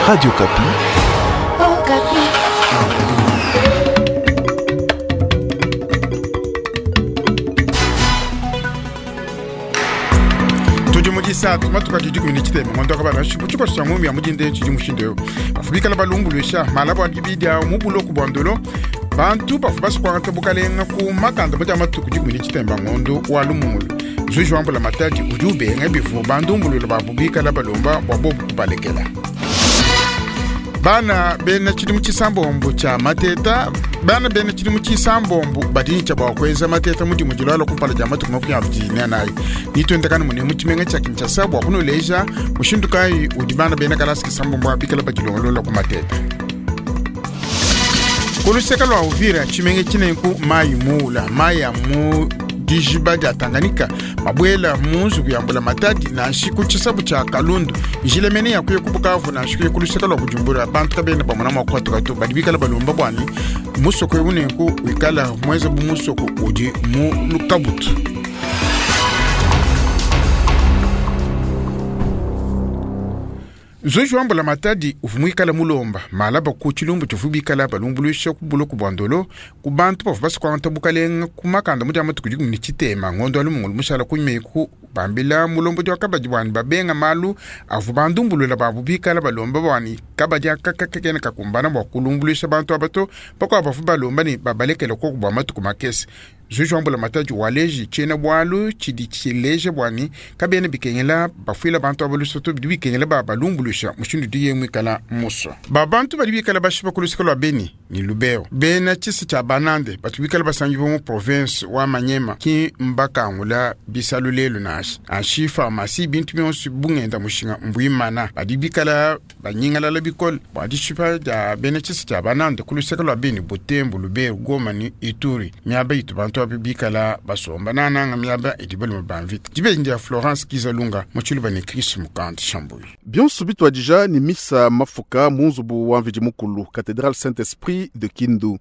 Radio Okapi. Okapi. Tudi mu disatu matuku adi 13 ngondo kabala tshikoso tshia ngumi ya mudinde tshidi mushindu eu bavua bikala balumbuluisha malabo adi bidia mu buloku bua ndolo bantu bavua basukuangata bukalenga ku makanda mu dia matuku 13 ngondo wa lumungulu. Nzuji wa mbula matadi udi ubenga bivua bandumbulula babu bikala balomba bua bobu kubalekela. Bana bena tshidimu tshisambombo tshia mateta, bana bena tshidimu tshisambombo badi ne bua kuenza mateta mudimu dilwala kumpala dia matuku 24. Nituendakana mune mu tshimenga tshia Kinshasa bua kunuleja mushindu kayi udi bana bena kalasa kisambombo abikala badilongolola ku mateta. Ku luseke lua Uvira tshimenga tshinenku mayi muula, mayi a mu dijiba dia Tanganyika mabuela mu nzubu ya mbula matadi nansha ku tshisabu tshia Kalundu njila mene ya kuya ku Bukavu nansha kuya ku luseke lua Bujumbura bantu kabena bamona mua kuhatuka to. Badi bikala balomba bua ne musoko eu nenku wikala muenze bu musoko udi mu lukabutu. Nzuji wa mbula matadi uvua muikala mulomba malaba ku tshilumbu tshivua bikala balumbuluisha ku buloku bua ndolo ku bantu bavua basukuangata bukalenga ku makanda mu dia matuku 13 ngondo wa lumungulu mushala kunyima eku bambila mulombodi wa kabadi bua ne babenga malu avua bandumbulula babu bikala balomba bua ne kabadi aka kakena kakumbana bua kulumbuluisha bantu aba to. Bakuabu bavua balomba ne babalekela koku bua matuku makese. Nzuji wa mbula matadi waleji tshiena bualu tshidi tshileja bua ne kabena bikengela bafuila bantu aba luse to, bidi bikengela ba balumbuluisha mushindu udiye muikala musua. Ba bantu badi bikala bashipa ku luseke lua Beni ne Lubero bena tshisa tshia Banande batu bikala basangibua mu province wa Manyema ki mbakangula bisalu lelu nansha anshi pharmacie bintu bionso bungenda mushinga mbuimana badi bikala banyingalala bikole bua dishipa dia bena tshisa tshia Banande ku luseke lua Beni, Butembo, Lubero, Goma ne Ituri miaba itu bantu abi bikala basomba nananga miaba idi balume ba mvita. Dibeji dia Florence Kizalunga mu tshiluba ne Chris Mukandi Shambuyi. Bionso bituadija ne misa mafuka mu nzubu wa Mvidi Mukulu, Cathédrale Saint-Esprit de Kindu.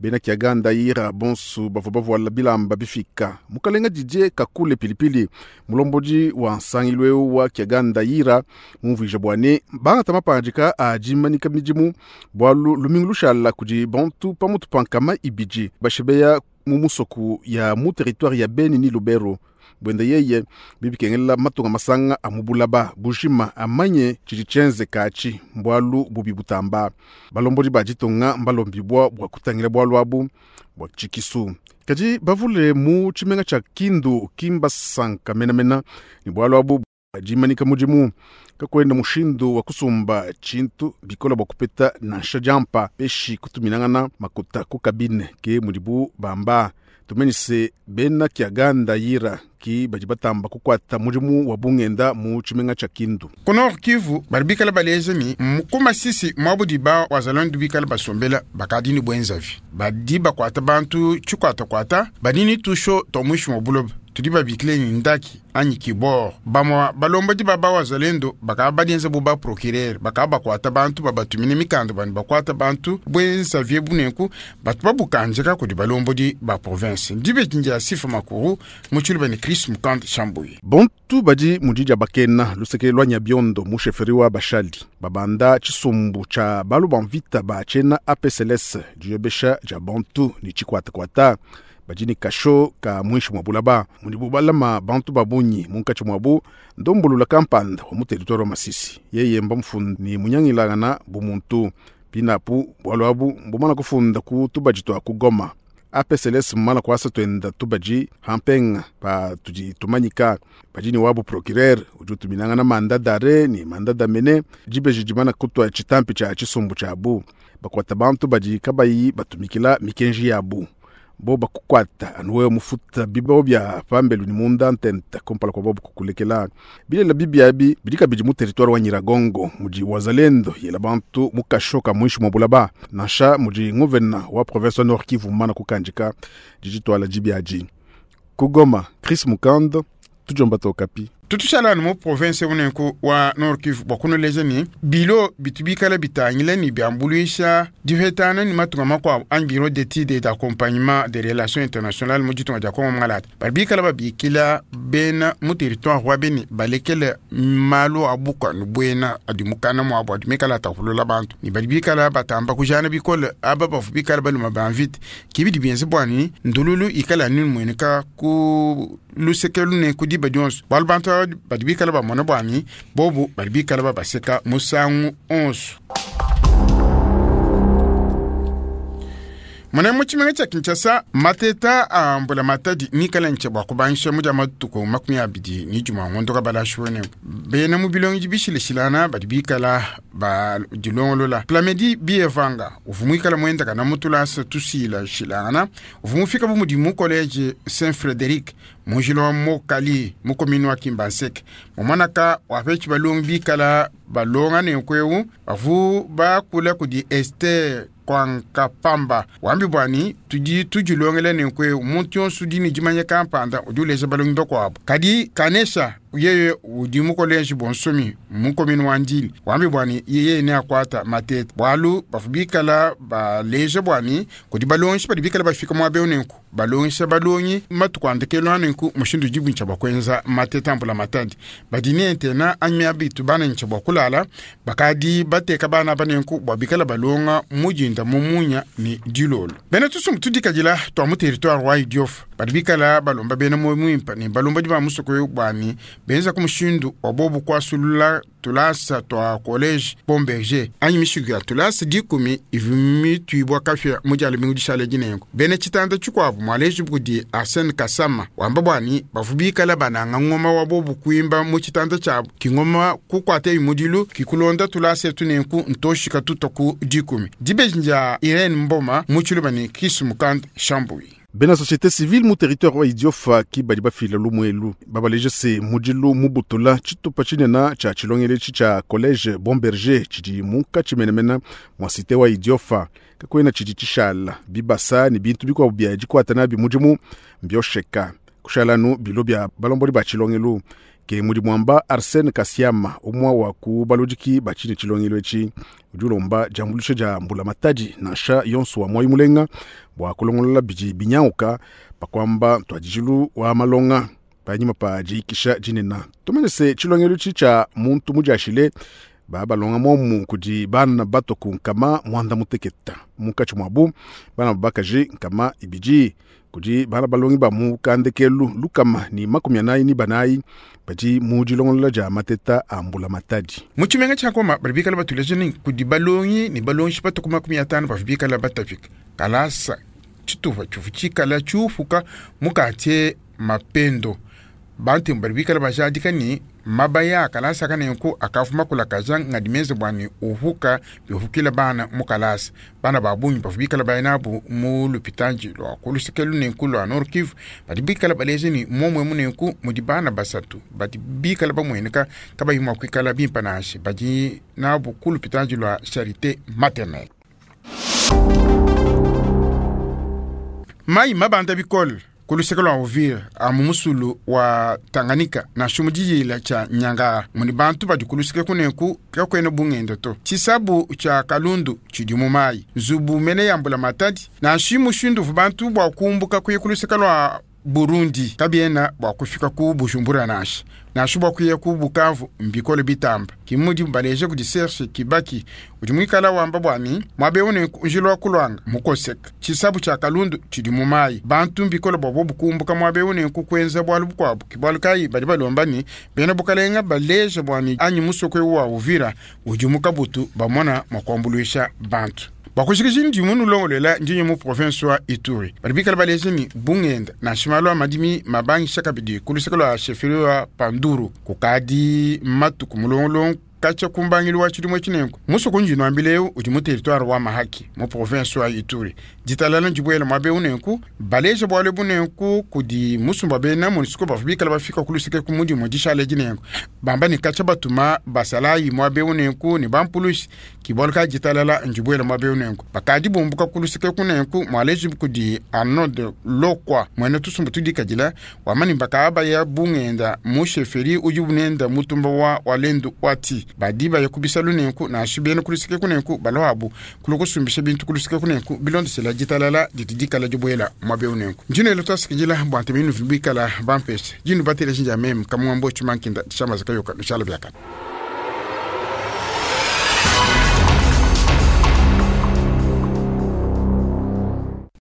Bena Kiaganda ira bonso bavua bavuala bilamba bifika. Mukalenga Didier Kakule Pilipili, mulombodi wa nsangilu eu wa Kiaganda ira, mumvuija bua ne bangata mapangadika a dimanika midimu bualu lumingu lushala kudi bantu pamutu pa nkama ibidi bashibeya mu musoku ya mu territoire ya Beni ni Lubero. Bwenda yeye bibikengela matunga masanga a mubulaba bujima amanye tshidi tshienze katshi mbwalu bubi butamba. Balombodi ba ditunga mbalombibwa bua kutangila bwalu abu bua tshikisu. Kadi bavule mu tshimenga tshia Kindu kimbasanka menamena ni bwalu abu dimanika mudimu kakwenda mushindu wa kusumba tshintu bikola bua kupeta nansha diampa peshi kutuminangana makuta ku kabine ke mudibu bamba. Tumenyise bena Kiaganda yira ki badi batamba kukwata mudimu wa bungenda mu tshimenga tshia Kindu. Ku Nord Kivu badi bikala baleja ni ku Masisi mwabudi ba wazalendo bikala basombela bakadi ni bwenzavi badi bakwata bantu tshikwatakwata badi ni tusho twa mwishi mwa buloba tudi babikile ni ndaki anyi kibor. Bamwa balombodi ba bawazalendo bakaba badienza bu ba procureur bakaba bakwata bantu babatumine mikanda bani bakwata bantu bwenza vie bunenku batu babukanjeka kudi balombodi ba province. Ndibe kinja Sifa Makuru mu tshiluba ni Chris Mukand Shambuyi. Bantu badi mudi dia bakena luseke lwa Nyabiondo mu sheferi wa Bashali babanda tshisumbu tshia balu ba mvita ba tshena APCLS diyobesha dia bantu ni tshikwatakwata. Badi ni kasho ka mwishi mwa bulaba mudibu balama bantu babunyi munkatshi mwabu ndombulula kampanda wa mu territoire wa Masisi. Yeye mba mfundi ni munyangilangana bumuntu pinapu bwalu abu mbumana kufunda ku tubaji twa ku Goma. APCLS mmana kwasa twenda tubaji hampenga pa tudi tumanyika badi ni wabu procureur udi utuminangana manda dare ni manda damene dibeji dimana kutwa tshitampi tshia tshisumbu tshiabu bakwata bantu badi kabayi batumikila mikenji yabu. Bo bakukwata anuwe mufuta bibao bya pambelu ni munda ntenta kumpala kwa bobo kukulekela. Bilela bibi abi bidika bidi mu territoire wa Nyiragongo mudi wazalendo yela bantu mukashoka mwishi mwa bulaba nansha mudi nguvena wa province wa Nord Kivu mana kukanjika dijitwala jibiaji. Kugoma Chris Mukando tujomba tokapi. Tutushala anu mu province unenku wa Nord Kivu bua kunuleja ne bilo bitu bikala bitangila ne biambuluisha dipetana ne matunga makuabu anyi bureau d'études et d'accompagnement des relations internationales mu ditunga dia Kongo Mwangalata badi bikala babikila bena mu territoire wa Beni balekele malu a bukua buena adi mukana muabu adi mikala atapulula bantu ne badi bikala batamba kujana bikole aba bavu bikala baluma ba mvita kibidi bienze bua ni ndululu ikala anu imueneka ku luseke lune ku diba dionso bualu bantu aba badi bikala bamona bua ni bobu badi bikala babaseka musangu onso. Mona mu tshimenga tshia Kinshasa, mateta a mbulamatadi mikale ntshia bua kubangisha mu dia matuku 21 ngondo kabalashi wene. Bena mu bilongedi bishilashilana badi bikala badilongolola. Plamedi Bievanga uvua muikala muendakana mu tulasa tushilashilangana, uvua mufika bu mudi mu college Saint Frederic mu njila wa Mokali mu commune wa Kimbanseke. Mumonaka wapetshi balongi bikala balonga nenku eu bavua bakula kudi Esther Kwankapamba wambi bwani tudi tudilongela nenku eu muntu yonso udi ne dimanya kampanda udi uleja balongi bakuabu. Kadi Kanesha yeye udi mu college Bonsomi mu commune wa Ndili wambi bwani yeye ne akwata matete bualu bavua bikala baleja bwani kudi balongi badi bikala bafika muaba eu nenku balongisha balongi matuku a ndekelu a nenku mushindu udi buntshia bua kuenza matete a mbulamatadi badi ne antena anyi miaba itu bana ntshia bua kulala bakadi bateka bana aba nenku bua bikala balonga mu dinda mu munya ne dilolo. Bena tusumbu tudikadila tua mu territoire wa Idiofa badi bikala balomba bena muoyo muimpe ne balombodi ba musoko eu bua ne benza ku mushindu wa bobu kuasulula tulasa tua college Bon Berger anyi mishiku ya tulasa 10 ivua mituibua kapia mu dia lumingu dishala dinenku. Bena tshitanda tshikuabu mualeji kudi Arsène Kasama wamba bua ne bavua bikala bananga ngoma wa bobu kuimba mu tshitanda tshiabu kingoma kukuata mudilu kikulonda tulasa etu nenku ntoshika tutua ku 10. Dibeji dia Irene Mboma mu tshiluba ne Chris Mukand Chambui. Bena société civile mu territoire wa Idiofa ki badi bafila lumuelu babaleje se mudilu mubutula tshitupa tshinene tshia tshilongelo etshi tshia college Bon Berger tshidi munkatshi menemene mua cité wa Idiofa kakuena tshidi tshishala bibasa ne bintu bikuabu bia dikuata nabi mudimu mbiosheka kushalanu bilo bia balombodi ba tshilongelo ke mudi muamba Arsène Kasiama umwe wa ku baludiki ba tshine tshilongelo etshi udi ulomba diambuluisha dia mbulamatadi nansha yonso wa moyi mulenga bua kulongolola bidi binyanguka pakuamba ntuadijilu wa malonga panyima pa diikisha dinene. Tumanye se tshilongelo etshi tshia muntu mudiashile ba balonga momu kudi bana bato ku nkama mwanda muteketa munkatshi muabu bana babakaji nkama ibidi kudi bana balongi ba mu kandekelu lukama ni 44 badi mu dilongolola dia mateta a mbulamatadi. Mu tshimenga tshia Goma badi bikala batuleja ne kudi balongi ne balongi bato ku 50 bavua bikala batapika kalasa tshitupa tshivua tshikala tshiupuka mu quartier Mapendo. Bantu badi bikala bajadika ne mabaya a kalasa kanenku akavuma kulakaja ngadi menze bua ne uhuka bihukila bana mu kalasa. Bana ba bungi bavua bikala baya nabu mu lupitanji lua ku luseke lunenku lua Nord Kivu badi bikala baleja ne momue munenku mudi bana basatu badi bikala bamueneka kabayi mua kuikala bimpe nansha badi nabu ku lupitanji lua Charité Maternelle. Mai mabanda bikole ku luseke lua Uvira a mu musulu wa Tanganyika nansha mu diyila tshia Nyangara mudi bantu badi ku luseke kunenku kakuena bungenda to. Tshisabu tshia Kalundu tshidi mu mayi nzubu mene ya mbulamatadi nansha mushindu uvua bantu bua kumbuka kuya ku luseke lua Burundi kabiena bua kufika ku Bujumbura nansha nansha bua kuya ku Bukavu mbikole bitamba. Kimudi baleje kudi Serge Kibaki udi muikala wamba bua ne muaba eu nenku njila wa kulwanga mukoseka tshisabu tshia Kalundu tshidi mu mayi bantu mbikole bua bobu kumbuka muaba eu nenku kuenza bualu bukuabu. Ke bualu kayi badi balomba ne bena bukalenga baleje bua ne anyi musoko eu wa Uvira udi mu kabutu bamona mua kuambuluisha bantu. Bakushikisha ndi munulongolela ndinyi mu province wa Ituri badi bikala baleje ni bungenda nansha malu a madimi mabangisha kabidi ku luseke lua chefferie wa Panduru kukadi matuku mulongolongo. Katshia ku mbangilu wa tshidimu etshi nenku, musoko undi nnuambila eu udi mu teritware wa Mahaki mu province wa Ituri. Ditalala ndibuele muaba eu nenku baleja bualu ebu nenku kudi musumba bena MONUSCO bavua bikala bafika ku luseke ku mudimu dishala edi nenku bamba ne katshia batuma basalayi muaba eu nenku ne bampulushi ki bualu kayi ditalala ndibuele muaba eu nenku bakadi bumbuka ku luseke ku nenku mualeji kudi Arnold Lokwa muena tusumbu tudikadila wamba ne bakabaya bungenda mu sheferi udi bunenda mutumba wa Walendu Wati badi baya ku bisalu nenku nansha bena ku luseke ku nenku balwabu kulu kusumbisha bintu ku luseke ku nenku bilondeshela ditalala didi dikala dibuela muaba eu nenku ndino twasikidila bua ntema inu bikala bampesha dinu bateleji ndia meme kamwambo tshimankinda tshiamaza kayoka lushala biakana.